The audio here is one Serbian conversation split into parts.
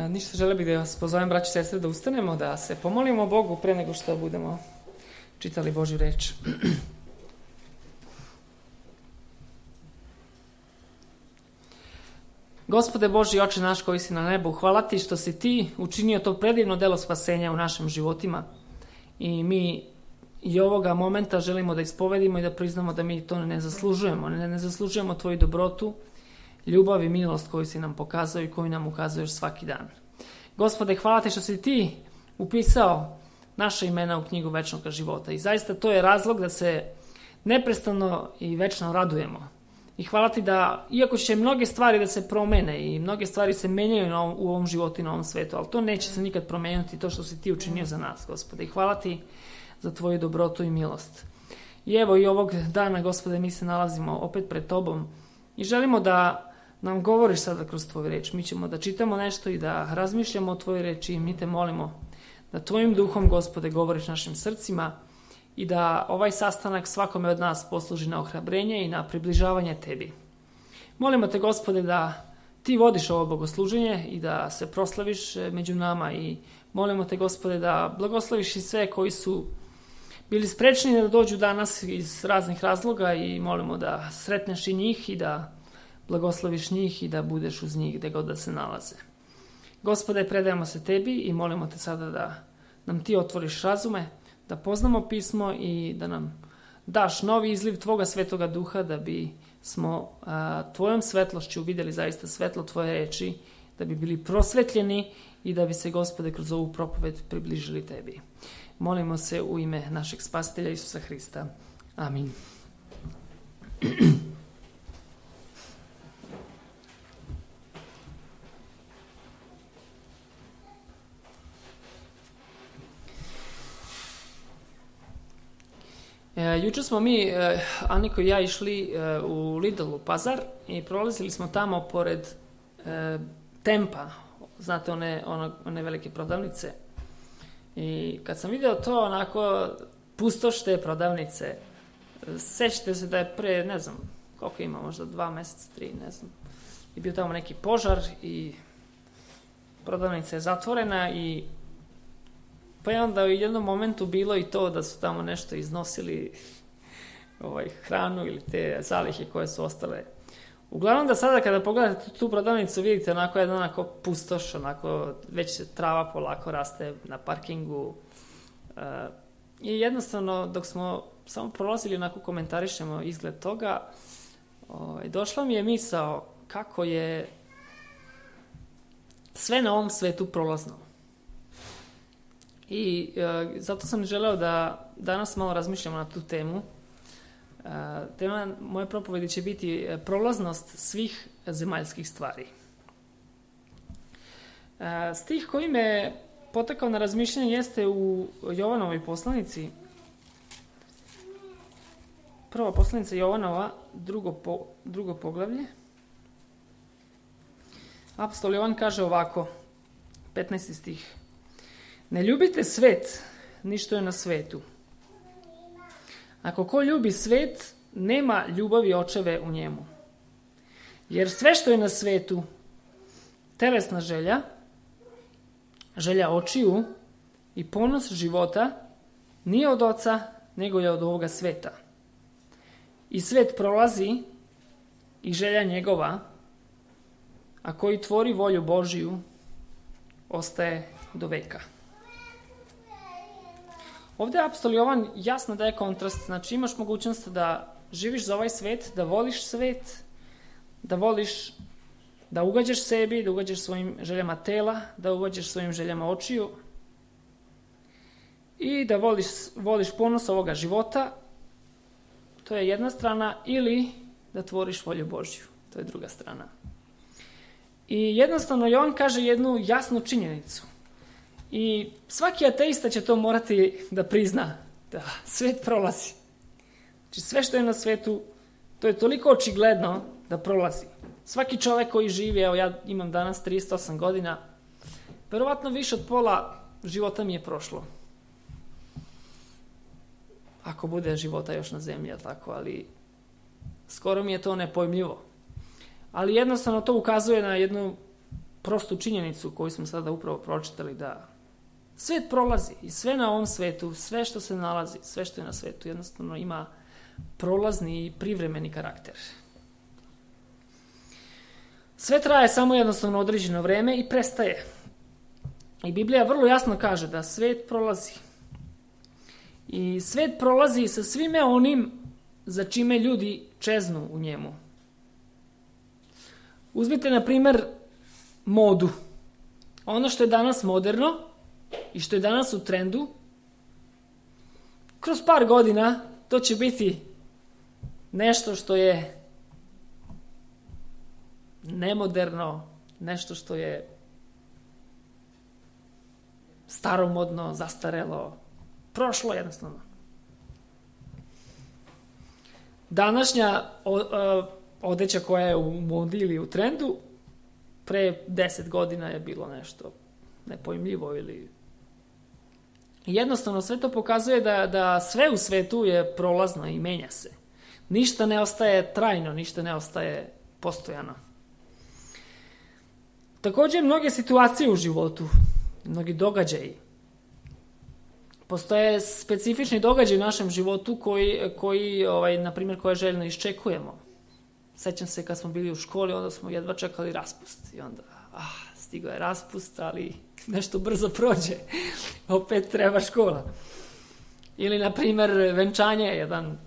Ništa, žele bih da vas pozovem, braći i sestre, da ustanemo, da se pomolimo Bogu pre nego što budemo čitali Božju reč. Gospode Boži, Oče naš koji si na nebu, hvala ti što si ti učinio to predivno delo spasenja u našim životima. I mi i ovoga momenta želimo da ispovedimo i da priznamo da mi to ne zaslužujemo. Ne zaslužujemo tvoju dobrotu, ljubav i milost koju si nam pokazao i koju nam ukazuješ svaki dan. Gospode, hvala ti što si ti upisao naše imena u knjigu večnog života. I zaista to je razlog da se neprestano i večno radujemo. I hvala ti da, iako će mnoge stvari da se promene i mnoge stvari se menjaju u ovom životu i na ovom svetu, ali to neće se nikad promeniti, to što si ti učinio za nas, Gospode. I hvala ti za tvoju dobrotu i milost. I evo i ovog dana, Gospode, mi se nalazimo opet pred tobom i želimo da nam govoriš sada kroz tvoju reč. Mi ćemo da čitamo nešto i da razmišljamo o tvojoj reči i mi te molimo da tvojim duhom, Gospode, govoriš našim srcima i da ovaj sastanak svakome od nas posluži na ohrabrenje i na približavanje tebi. Molimo te, Gospode, da ti vodiš ovo bogosluženje i da se proslaviš među nama i molimo te, Gospode, da blagosloviš i sve koji su bili sprečni da dođu danas iz raznih razloga i molimo da sretneš i njih i da blagosloviš njih i da budeš uz njih gde god da se nalaze. Gospode, predajemo se tebi i molimo te sada da nam ti otvoriš razume, da poznamo pismo i da nam daš novi izliv tvoga svetoga duha da bi smo tvojom svetlošću vidjeli zaista svetlo tvoje reči, da bi bili prosvetljeni i da bi se, Gospode, kroz ovu propoved približili tebi. Molimo se u ime našeg spasitelja Isusa Hrista. Amin. Jučer smo mi, Aniko i ja, išli u Lidl u Pazar i prolazili smo tamo pored Tempa, znate one velike prodavnice. I kad sam vidio to, onako, pustoš te prodavnice, sećate se da je pre, ne znam, koliko ima, možda 2 meseca, 3, ne znam, i bio tamo neki požar i prodavnica je zatvorena i pa je onda u jednom momentu bilo i to da su tamo nešto iznosili hranu ili te zalihe koje su ostale. Uglavnom da sada kada pogledate tu prodavnicu vidite onako pustoš, onako već se trava polako raste na parkingu. I jednostavno dok smo samo prolazili onako komentarišemo izgled toga, došla mi je misao kako je sve na ovom svetu prolazno. I zato sam želeo da danas malo razmišljamo na tu temu. Tema moje propovedi će biti prolaznost svih zemaljskih stvari. Stih koji me potakao na razmišljanje jeste u Jovanovoj poslanici. Prva poslanica Jovanova, drugo poglavlje. Apostol Jovan kaže ovako, 15. stih. Ne ljubite svet, ništa je na svetu. Ako ko ljubi svet, nema ljubavi očeve u njemu. Jer sve što je na svetu, telesna želja, želja očiju i ponos života, nije od oca, nego je od ovoga sveta. I svet prolazi i želja njegova, a koji tvori volju Božiju, ostaje do veka. Ovdje apostol Jovan jasno daje kontrast, znači imaš mogućnost da živiš za ovaj svet, da voliš svet, da voliš da ugađaš sebi, da ugađaš svojim željama tela, da ugađaš svojim željama očiju i da voliš ponos ovoga života, to je jedna strana, ili da tvoriš volju Božju, to je druga strana. I jednostavno Jovan kaže jednu jasnu činjenicu. I svaki ateista će to morati da prizna, da svet prolazi. Znači sve što je na svetu, to je toliko očigledno da prolazi. Svaki čovjek koji živi, evo ja imam danas 38 godina, verovatno više od pola života mi je prošlo. Ako bude života još na zemlji, tako, ali skoro mi je to nepojmljivo. Ali jednostavno to ukazuje na jednu prostu činjenicu koju smo sada upravo pročitali, da svet prolazi i sve na ovom svetu, sve što se nalazi, sve što je na svetu jednostavno ima prolazni i privremeni karakter. Sve traje samo jednostavno određeno vreme i prestaje. I Biblija vrlo jasno kaže da svet prolazi. I svet prolazi sa svime onim za čime ljudi čeznu u njemu. Uzmite, na primjer, modu. Ono što je danas moderno i što je danas u trendu, kroz par godina to će biti nešto što je nemoderno, nešto što je staromodno, zastarelo, prošlo jednostavno. Današnja odeća koja je u modi ili u trendu, pre 10 godina je bilo nešto nepojmljivo ili... Jednostavno sve to pokazuje da sve u svetu je prolazno i menja se. Ništa ne ostaje trajno, ništa ne ostaje postojano. Također mnoge situacije u životu, mnogi događaji. Postoje specifični događaji u našem životu koji na primjer, koje željno iščekujemo. Sećam se kad smo bili u školi, onda smo jedva čekali raspust. I onda, stigao je raspust, ali nešto brzo prođe. Opet treba škola. Ili, na primjer, venčanje, jedan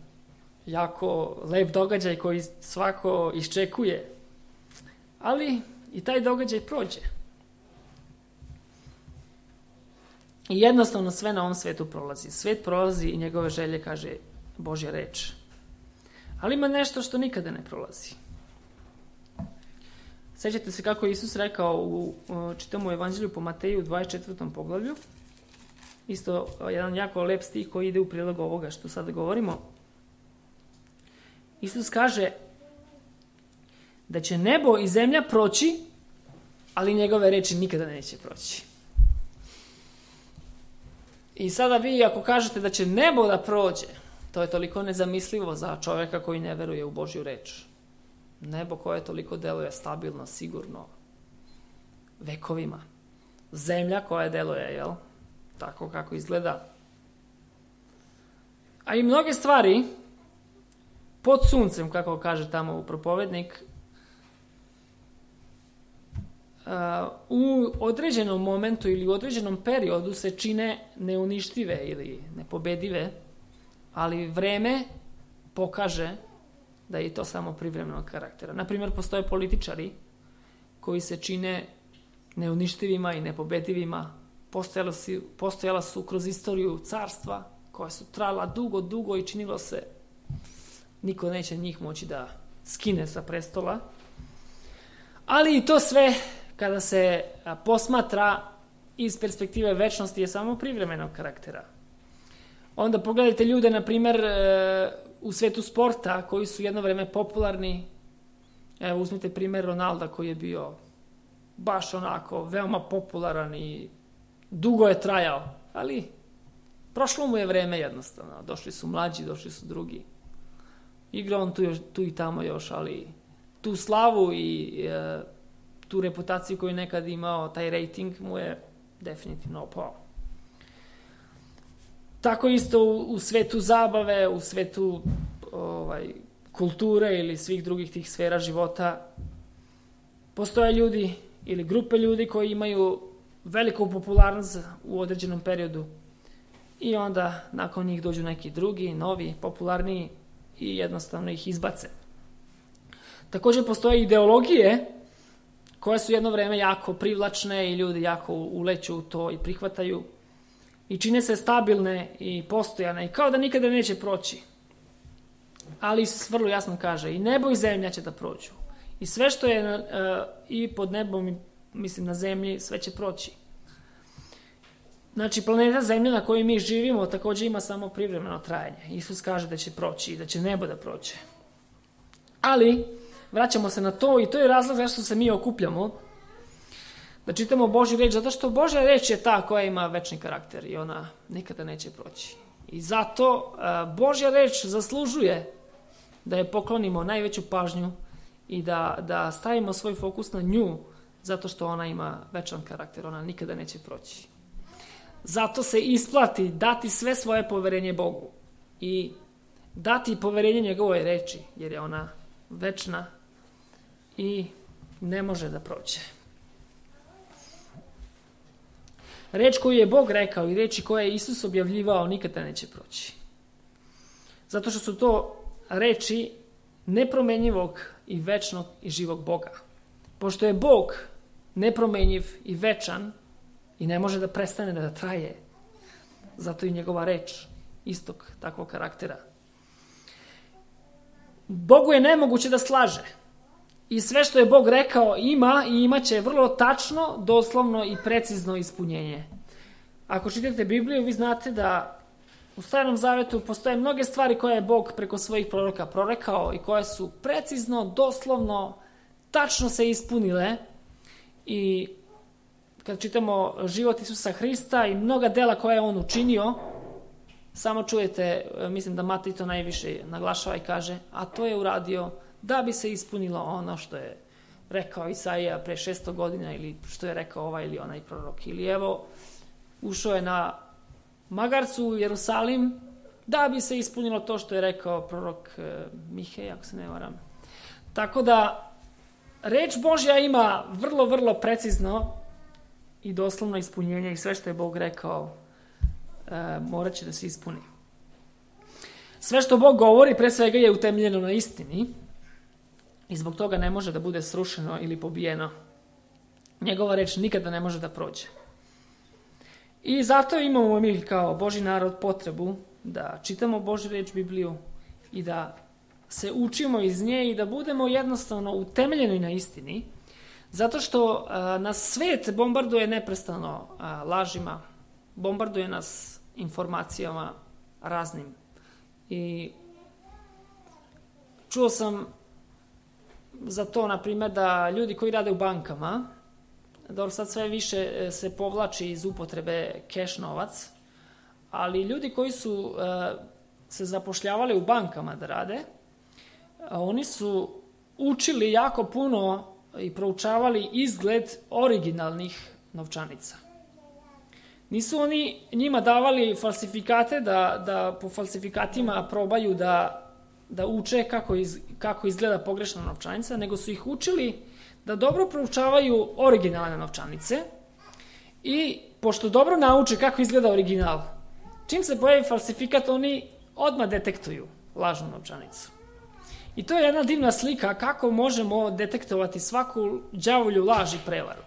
jako lep događaj koji svako iščekuje. Ali i taj događaj prođe. I jednostavno sve na ovom svetu prolazi. Svet prolazi i njegove želje, kaže Božja reč. Ali ima nešto što nikada ne prolazi. Sećate se kako je Isus rekao čitamo u Evanđelju po Mateju u 24. poglavlju. Isto jedan jako lep stih koji ide u prilog ovoga što sada govorimo. Isus kaže da će nebo i zemlja proći, ali njegove reči nikada neće proći. I sada vi ako kažete da će nebo da prođe, to je toliko nezamislivo za čovjeka koji ne veruje u Božju reč. Nebo koje toliko deluje stabilno, sigurno, vekovima. Zemlja koja deluje, tako kako izgleda. A i mnoge stvari pod suncem, kako kaže tamo u propovednik, u određenom momentu ili u određenom periodu se čine neuništive ili nepobedive, ali vreme pokaže da je to samo privremenog karaktera. Naprimjer, postoje političari koji se čine neuništivima i nepobedivima. Postojala su kroz istoriju carstva koja su trajala dugo i činilo se niko neće njih moći da skine sa prestola. Ali i to sve kada se posmatra iz perspektive večnosti je samo privremenog karaktera. Onda pogledajte ljude, na primjer, u svetu sporta koji su jedno vreme popularni. Evo, uzmite primjer Ronalda koji je bio baš onako veoma popularan i dugo je trajao, ali prošlo mu je vreme jednostavno. Došli su mlađi, došli su drugi. Igra on tu i tamo još, ali tu slavu i tu reputaciju koju je nekad imao, taj rating mu je definitivno opao. Tako isto u svetu zabave, u svetu kulture ili svih drugih tih sfera života postoje ljudi ili grupe ljudi koji imaju veliku popularnost u određenom periodu i onda nakon njih dođu neki drugi, novi, popularniji i jednostavno ih izbace. Također postoje ideologije koje su jedno vreme jako privlačne i ljudi jako uleću u to i prihvataju i čine se stabilne i postojane i kao da nikada neće proći. Ali Isus vrlo jasno kaže i nebo i zemlja će da prođu. I sve što je i pod nebom, mislim na zemlji, sve će proći. Znači, planeta Zemlja na kojoj mi živimo također ima samo privremeno trajanje. Isus kaže da će proći i da će nebo da prođe. Ali, vraćamo se na to i to je razlog zašto se mi okupljamo. Da čitamo Božju reč, zato što Božja reč je ta koja ima večni karakter i ona nikada neće proći. I zato Božja reč zaslužuje da je poklonimo najveću pažnju i da stavimo svoj fokus na nju Zato što ona ima večan karakter, ona nikada neće proći. Zato se isplati dati sve svoje poverenje Bogu i dati poverenje njegovoj reči, jer je ona večna i ne može da prođe. Reč koju je Bog rekao i reči koje je Isus objavljivao nikada neće proći. Zato što su to reči nepromenjivog i večnog i živog Boga. Pošto je Bog nepromenjiv i večan i ne može da prestane da traje, zato i njegova reč istog takvog karaktera. Bogu je nemoguće da slaže. I sve što je Bog rekao ima i imaće vrlo tačno, doslovno i precizno ispunjenje. Ako čitate Bibliju, vi znate da u Starom Zavetu postoje mnoge stvari koje je Bog preko svojih proroka prorekao i koje su precizno, doslovno, tačno se ispunile. I kad čitamo život Isusa Hrista i mnoga dela koje je on učinio, samo čujete, mislim da Matej to najviše naglašava i kaže, a to je uradio da bi se ispunilo ono što je rekao Isaija pre 600 godina ili što je rekao ovaj ili onaj prorok. Ili evo, ušao je na magarcu u Jerusalim da bi se ispunilo to što je rekao prorok Mihej, ako se ne varam. Tako da, reč Božja ima vrlo, vrlo precizno i doslovno ispunjenje i sve što je Bog rekao morat će da se ispuni. Sve što Bog govori pre svega je utemeljeno na istini i zbog toga ne može da bude srušeno ili pobijeno. Njegova reč nikada ne može da prođe. I zato imamo mi kao Božji narod potrebu da čitamo Božju reč Bibliju i da se učimo iz nje i da budemo jednostavno utemeljeni na istini, zato što nas svet bombarduje neprestano lažima, bombarduje nas informacijama raznim. I čuo sam za to, na primjer, da ljudi koji rade u bankama, dobro, sad sve više se povlači iz upotrebe keš novac, ali ljudi koji su se zapošljavali u bankama da rade, oni su učili jako puno i proučavali izgled originalnih novčanica. Nisu oni njima davali falsifikate da po falsifikatima probaju da uče kako izgleda pogrešna novčanica, nego su ih učili da dobro proučavaju originalne novčanice i pošto dobro nauče kako izgleda original, čim se pojavi falsifikat, oni odmah detektuju lažnu novčanicu. I to je jedna divna slika kako možemo detektovati svaku đavolju laž i prevaru.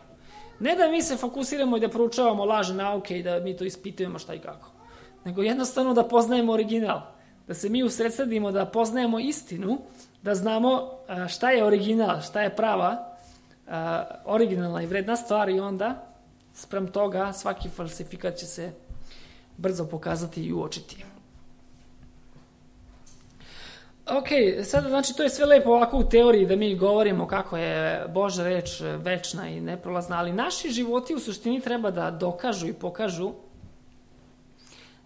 Ne da mi se fokusiramo i da proučavamo lažne nauke i da mi to ispitujemo šta i kako, nego jednostavno da poznajemo original, da se mi usredsredimo, da poznajemo istinu, da znamo šta je original, šta je prava, originalna i vredna stvar i onda sprem toga svaki falsifikat će se brzo pokazati i uočiti. Ok, sada znači to je sve lepo ovako u teoriji da mi govorimo kako je Božja reč večna i neprolazna, ali naši životi u suštini treba da dokažu i pokažu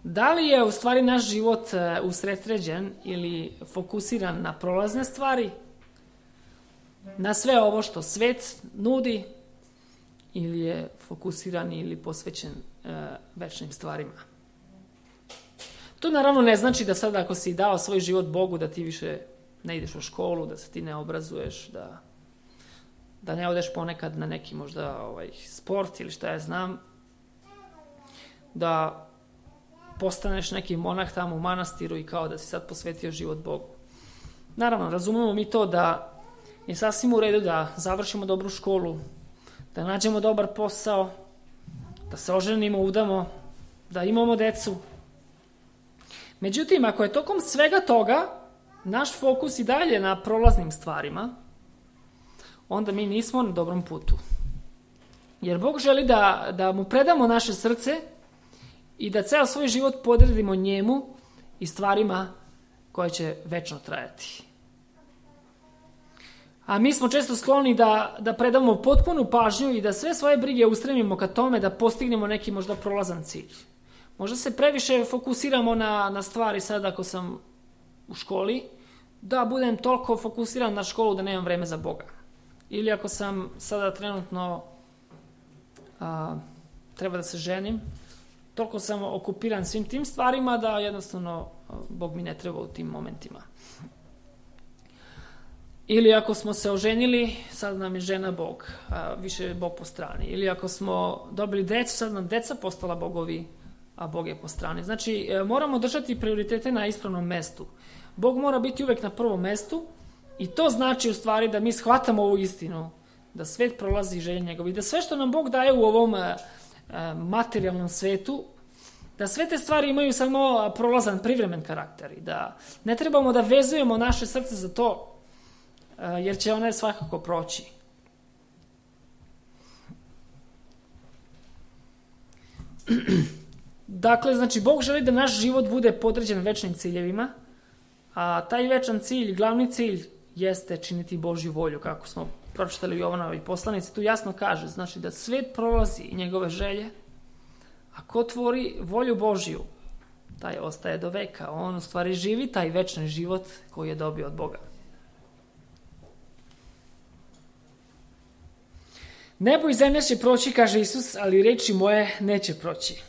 da li je u stvari naš život usredsređen ili fokusiran na prolazne stvari, na sve ovo što svet nudi, ili je fokusiran ili posvećen večnim stvarima. To naravno ne znači da sad ako si dao svoj život Bogu da ti više ne ideš u školu, da se ti ne obrazuješ, da ne odeš ponekad na neki možda sport ili šta ja znam, da postaneš neki monah tamo u manastiru i kao da si sad posvetio život Bogu. Naravno, razumemo mi to da je sasvim u redu da završimo dobru školu, da nađemo dobar posao, da se oženimo, udamo, da imamo decu. Međutim, ako je tokom svega toga naš fokus i dalje na prolaznim stvarima, onda mi nismo na dobrom putu. Jer Bog želi da mu predamo naše srce i da ceo svoj život podredimo njemu i stvarima koje će večno trajati. A mi smo često skloni da predamo potpunu pažnju i da sve svoje brige ustremimo ka tome da postignemo neki možda prolazan cilj. Možda se previše fokusiramo na stvari sad ako sam u školi, da budem toliko fokusiran na školu da nemam vreme za Boga. ili ako sam sada trenutno treba da se ženim, toliko sam okupiran svim tim stvarima da jednostavno Bog mi ne treba u tim momentima. Ili ako smo se oženili, sad nam je žena Bog, više je Bog po strani. Ili ako smo dobili decu, sad nam deca postala bogovi, a Bog je po strani. Znači, moramo držati prioritete na ispravnom mestu. Bog mora biti uvek na prvom mestu i to znači u stvari da mi shvatamo ovu istinu, da svet prolazi želje njegovi, da sve što nam Bog daje u ovom materijalnom svetu, da sve te stvari imaju samo prolazan, privremen karakter i da ne trebamo da vezujemo naše srce za to, jer će one svakako proći. Dakle, znači, Bog želi da naš život bude podređen večnim ciljevima, a taj večan cilj, glavni cilj, jeste činiti Božju volju, kako smo pročitali u Jovanovoj poslanici. Tu jasno kaže, znači da svet prolazi i njegove želje, a ko tvori volju Božju, taj ostaje do veka. On u stvari živi taj večni život koji je dobio od Boga. Nebo i zemlja će proći, kaže Isus, ali reči moje neće proći.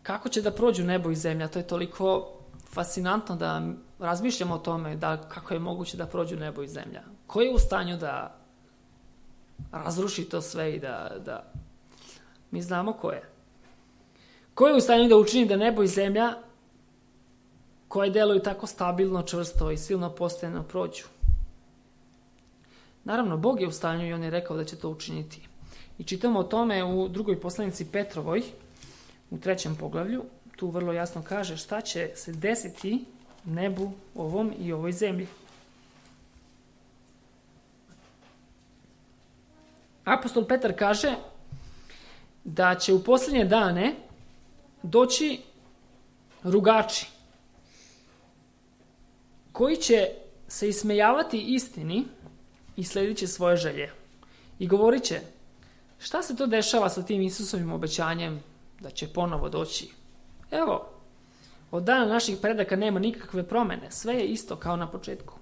Kako će da prođu nebo i zemlja? To je toliko fascinantno da razmišljamo o tome, da kako je moguće da prođu nebo i zemlja. Ko je u stanju da razruši to sve i da... Mi znamo ko je. Ko je u stanju da učini da nebo i zemlja, koje deluju tako stabilno, čvrsto i silno postojano, prođu? Naravno, Bog je u stanju i on je rekao da će to učiniti. I čitamo o tome u drugoj poslanici Petrovoj, u 3. poglavlju. Tu vrlo jasno kaže šta će se desiti nebu ovom i ovoj zemlji. Apostol Petar kaže da će u posljednje dane doći rugači koji će se ismejavati istini i sledit će svoje želje. I govorit će, šta se to dešava sa tim Isusovim obećanjem da će ponovo doći? Evo, od dana naših predaka nema nikakve promene, sve je isto kao na početku.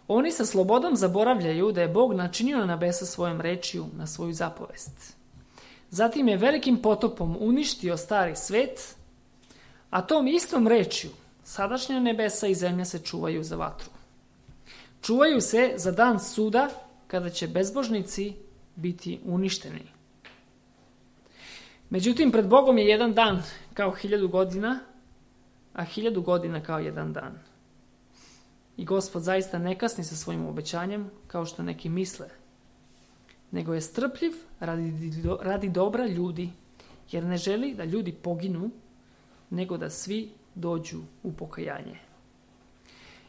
Oni sa slobodom zaboravljaju da je Bog načinio nebesa svojom rečju na svoju zapovest. Zatim je velikim potopom uništio stari svet, a tom istom rečju sadašnja nebesa i zemlja se čuvaju za vatru. Čuvaju se za dan suda kada će bezbožnici biti uništeni. Međutim, pred Bogom je jedan dan kao 1000 godina, a 1000 godina kao jedan dan. I Gospod zaista ne kasni sa svojim obećanjem kao što neki misle, nego je strpljiv radi dobra ljudi, jer ne želi da ljudi poginu, nego da svi dođu u pokajanje.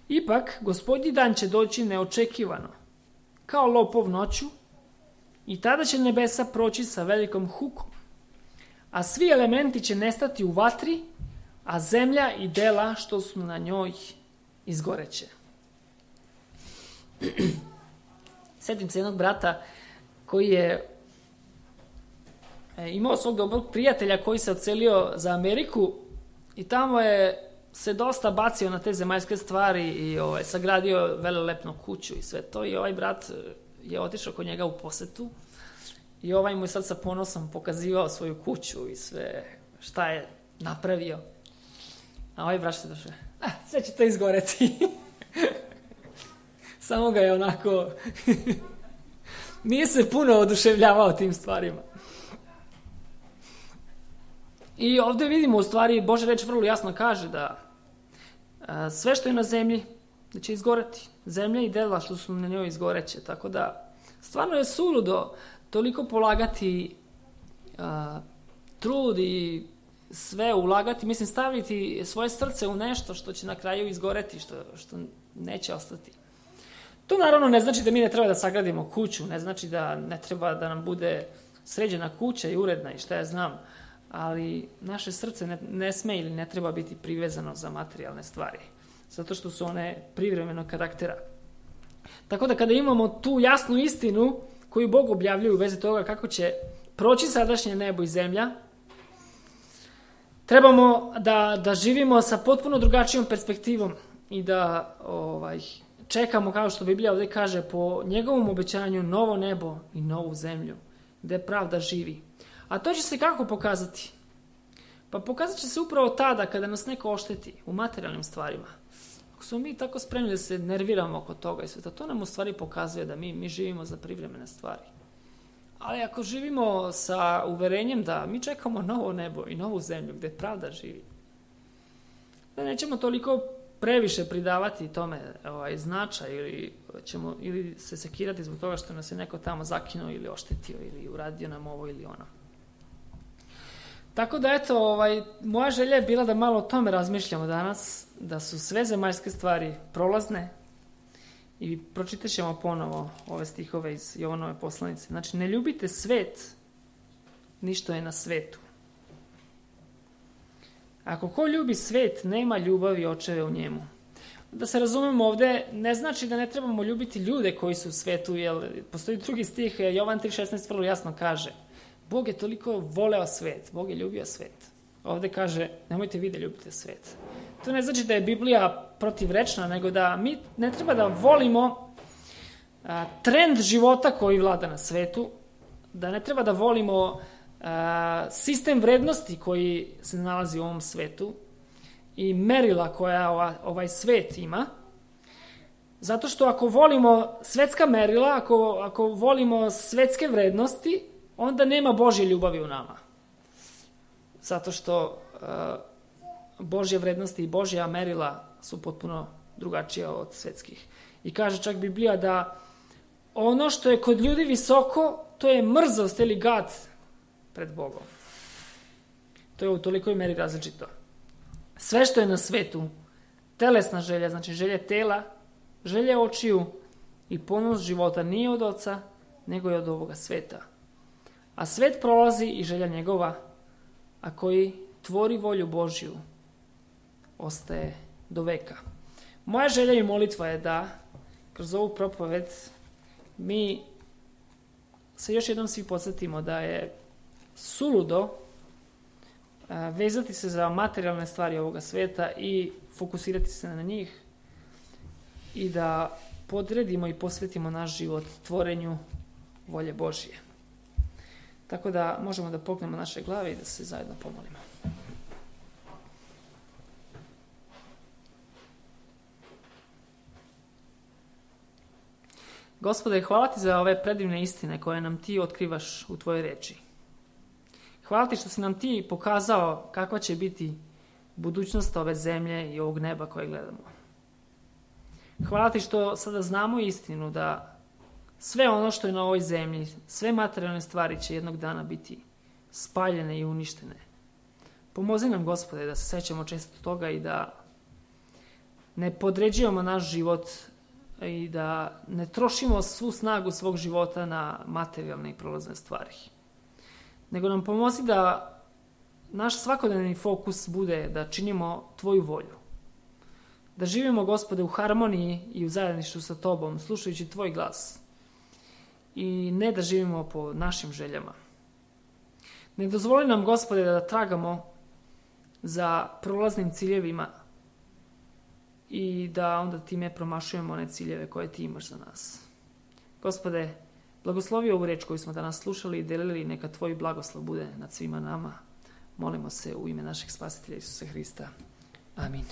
Ipak, Gospodnji dan će doći neočekivano, kao lopov noću, i tada će nebesa proći sa velikom hukom, a svi elementi će nestati u vatri, a zemlja i dela što su na njoj izgoreće. Sjetim se jednog brata koji je imao svog dobrog prijatelja koji se odselio za Ameriku i tamo je se dosta bacio na te zemaljske stvari i sagradio velelepnu kuću i sve to. I ovaj brat je otišao kod njega u posetu i ovaj mu je sad sa ponosom pokazivao svoju kuću i sve šta je napravio. A ovaj brat se došao, sve će to izgoreti. Samo ga je onako... Nije se puno oduševljavao tim stvarima. I ovdje vidimo u stvari, Božja reč vrlo jasno kaže da sve što je na zemlji da će izgoreti. Zemlja i dela što su na njoj izgoreće. Tako da stvarno je suludo toliko polagati trud i sve ulagati, mislim staviti svoje srce u nešto što će na kraju izgoreti, što neće ostati. To naravno ne znači da mi ne treba da sagradimo kuću, ne znači da ne treba da nam bude sređena kuća i uredna i šta ja znam, ali naše srce ne sme ili ne treba biti privezano za materijalne stvari, zato što su one privremenog karaktera. Tako da kada imamo tu jasnu istinu koju Bog objavljuje u vezi toga kako će proći sadašnje nebo i zemlja, trebamo da živimo sa potpuno drugačijom perspektivom i da čekamo, kao što Biblija ovdje kaže, po njegovom obećanju novo nebo i novu zemlju, gdje pravda živi. A to će se kako pokazati? Pa pokazat će se upravo tada kada nas neko ošteti u materijalnim stvarima. Ako smo mi tako spremni da se nerviramo oko toga i sveta, to nam u stvari pokazuje da mi živimo za privremene stvari. Ali ako živimo sa uverenjem da mi čekamo novo nebo i novu zemlju gdje pravda živi, da nećemo toliko previše pridavati tome značaj ili se sekirati zbog toga što nas je neko tamo zakinuo ili oštetio ili uradio nam ovo ili ono. Tako da eto, moja želja je bila da malo o tome razmišljamo danas, da su sve zemaljske stvari prolazne i pročitat ćemo ponovo ove stihove iz Jovanove poslanice. Znači, ne ljubite svet, ništo je na svetu. Ako ko ljubi svet, nema ljubavi očeve u njemu. Da se razumemo ovdje, ne znači da ne trebamo ljubiti ljude koji su u svetu, jer postoji drugi stih, Jovan 3.16 vrlo jasno kaže, Bog je toliko voleo svet, Bog je ljubio svet. Ovdje kaže, nemojte vi da ljubite svet. To ne znači da je Biblija protivrečna, nego da mi ne treba da volimo trend života koji vlada na svetu, da ne treba da volimo sistem vrednosti koji se nalazi u ovom svetu i merila koja ovaj svet ima. Zato što ako volimo svetska merila, ako volimo svetske vrednosti, onda nema Božje ljubavi u nama. Zato što Božje vrednosti i Božja merila su potpuno drugačija od svetskih. I kaže čak Biblija da ono što je kod ljudi visoko, to je mrzost ili gad pred Bogom. To je u tolikoj meri različito. Sve što je na svetu, telesna želja, znači želje tela, želje očiju i ponos života nije od Oca, nego je od ovoga sveta. A svet prolazi i želja njegova, a koji tvori volju Božju, ostaje do veka. Moja želja i molitva je da kroz ovu propoved mi se još jednom svi podsjetimo da je suludo vezati se za materijalne stvari ovoga sveta i fokusirati se na njih i da podredimo i posvetimo naš život tvorenju volje Božje. Tako da možemo da pognemo naše glave i da se zajedno pomolimo. Gospode, hvala ti za ove predivne istine koje nam ti otkrivaš u tvojoj reči. Hvala ti što si nam ti pokazao kakva će biti budućnost ove zemlje i ovog neba koje gledamo. Hvala ti što sada znamo istinu da sve ono što je na ovoj zemlji, sve materijalne stvari će jednog dana biti spaljene i uništene. Pomozi nam, Gospode, da se sećamo često toga i da ne podređujemo naš život i da ne trošimo svu snagu svog života na materijalne i prolazne stvari. Nego nam pomozi da naš svakodnevni fokus bude da činimo tvoju volju. Da živimo, Gospode, u harmoniji i u zajedništvu sa tobom, slušajući tvoj glas. I ne da živimo po našim željama. Ne dozvoli nam, Gospode, da tragamo za prolaznim ciljevima i da onda time promašujemo one ciljeve koje ti imaš za nas. Gospode, blagoslovi ovu reč koju smo danas slušali i delili, neka tvoj blagoslov bude nad svima nama. Molimo se u ime našeg Spasitelja Isusa Hrista. Amin.